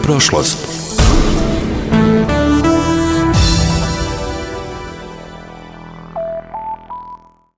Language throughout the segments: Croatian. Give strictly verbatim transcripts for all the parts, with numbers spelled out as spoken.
prošlost.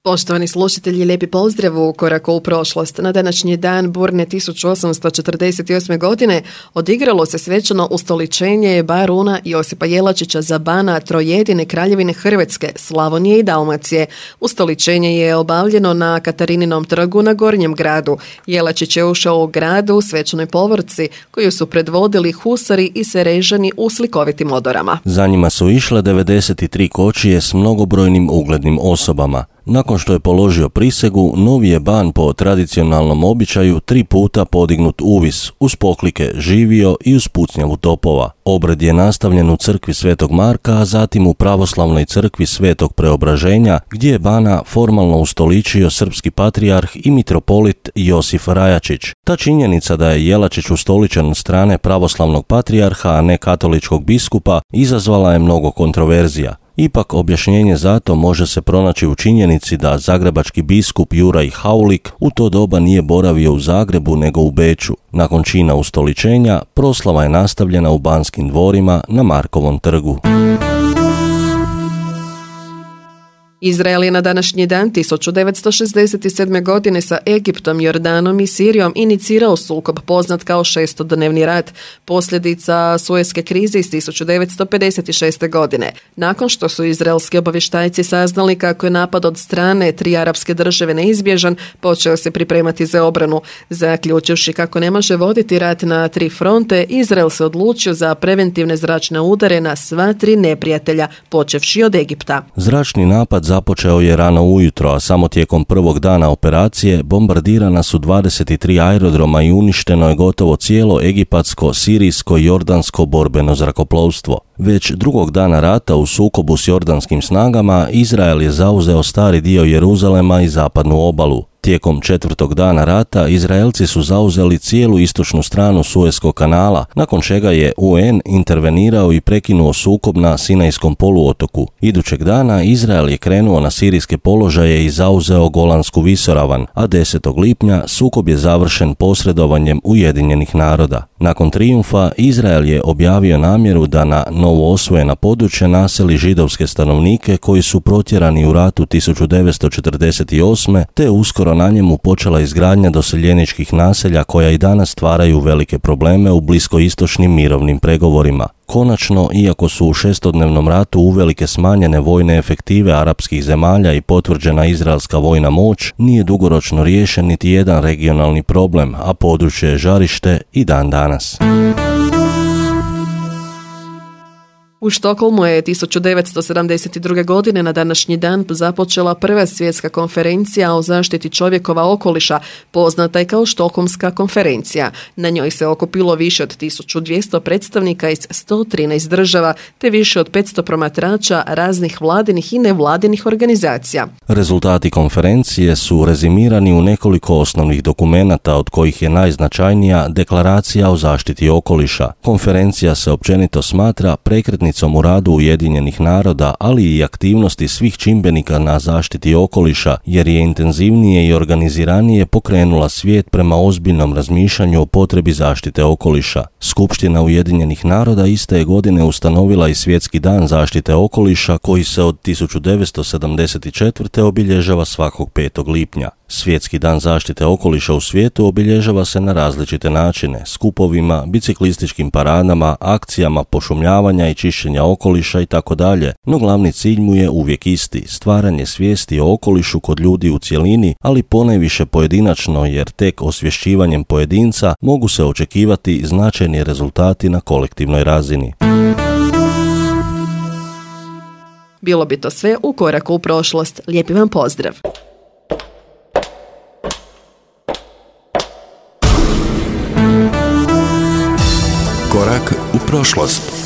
Poštovani slušatelji, lijepi pozdrav u koraku u prošlost. Na današnji dan burne tisuću osamsto četrdeset osme. godine odigralo se svečano ustoličenje baruna Josipa Jelačića za bana trojedine Kraljevine Hrvatske, Slavonije i Dalmacije. Ustoličenje je obavljeno na Katarininom trgu na Gornjem gradu. Jelačić je ušao u gradu u svečanoj povorci koju su predvodili husari i serežani u slikovitim odorama. Za njima su išle devedeset tri kočije s mnogobrojnim uglednim osobama. Nakon što je položio prisegu, novi je ban po tradicionalnom običaju tri puta podignut uvis, uz poklike živio i uz pucnjavu topova. Obred je nastavljen u crkvi Svetog Marka, a zatim u pravoslavnoj crkvi Svetog Preobraženja, gdje je bana formalno ustoličio srpski patrijarh i mitropolit Josif Rajačić. Ta činjenica da je Jelačić ustoličen od strane pravoslavnog patrijarha, a ne katoličkog biskupa, izazvala je mnogo kontroverzija. Ipak objašnjenje za to može se pronaći u činjenici da zagrebački biskup Juraj Haulik u to doba nije boravio u Zagrebu nego u Beču. Nakon čina ustoličenja, proslava je nastavljena u Banskim dvorima na Markovom trgu. Izrael je na današnji dan tisuću devetsto šezdeset sedme. godine sa Egiptom, Jordanom i Sirijom inicirao sukob poznat kao šestodnevni rat, posljedica Sueske krize iz tisuću devetsto pedeset šeste. godine. Nakon što su izraelski obavještajci saznali kako je napad od strane tri arapske države neizbježan, počeo se pripremati za obranu. Zaključivši kako ne može voditi rat na tri fronte, Izrael se odlučio za preventivne zračne udare na sva tri neprijatelja, počevši od Egipta. Zračni napad započeo je rano ujutro, a samo tijekom prvog dana operacije bombardirana su dvadeset tri aerodroma i uništeno je gotovo cijelo egipatsko, sirijsko i jordansko borbeno zrakoplovstvo. Već drugog dana rata u sukobu s jordanskim snagama Izrael je zauzeo stari dio Jeruzalema i zapadnu obalu. Tijekom četvrtog dana rata Izraelci su zauzeli cijelu istočnu stranu Sueskog kanala, nakon čega je U N intervenirao i prekinuo sukob na Sinajskom poluotoku. Idućeg dana Izrael je krenuo na sirijske položaje i zauzeo Golansku visoravan, a desetog lipnja sukob je završen posredovanjem Ujedinjenih naroda. Nakon trijumfa Izrael je objavio namjeru da na novo osvojena područja naseli židovske stanovnike koji su protjerani u ratu tisuću devetsto četrdeset osme. te uskoro na njemu počela izgradnja doseljeničkih naselja koja i danas stvaraju velike probleme u bliskoistočnim mirovnim pregovorima. Konačno, iako su u šestodnevnom ratu uvelike smanjene vojne efektive arapskih zemalja i potvrđena izraelska vojna moć, nije dugoročno riješen niti jedan regionalni problem, a područje je žarište i dan danas. U Štokholmu je tisuću devetsto sedamdeset druge. godine na današnji dan započela prva svjetska konferencija o zaštiti čovjekova okoliša, poznata i kao Štokholmska konferencija. Na njoj se okupilo više od tisuću dvjesto predstavnika iz sto trinaest država, te više od petsto promatrača raznih vladinih i nevladinih organizacija. Rezultati konferencije su rezimirani u nekoliko osnovnih dokumenata, od kojih je najznačajnija Deklaracija o zaštiti okoliša. Konferencija se općenito smatra prekretnicom u radu Ujedinjenih naroda, ali i aktivnosti svih čimbenika na zaštiti okoliša, jer je intenzivnije i organiziranije pokrenula svijet prema ozbiljnom razmišljanju o potrebi zaštite okoliša. Skupština Ujedinjenih naroda iste je godine ustanovila i Svjetski dan zaštite okoliša, koji se od tisuću devetsto sedamdeset četvrte. obilježava svakog petog lipnja. Svjetski dan zaštite okoliša u svijetu obilježava se na različite načine, skupovima, biciklističkim paradama, akcijama pošumljavanja i čišćenja okoliša itd. No glavni cilj mu je uvijek isti, stvaranje svijesti o okolišu kod ljudi u cjelini, ali ponajviše pojedinačno, jer tek osvješćivanjem pojedinca mogu se očekivati značajni rezultati na kolektivnoj razini. Bilo bi to sve u koraku u prošlost. Lijepi vam pozdrav! Korak u prošlost.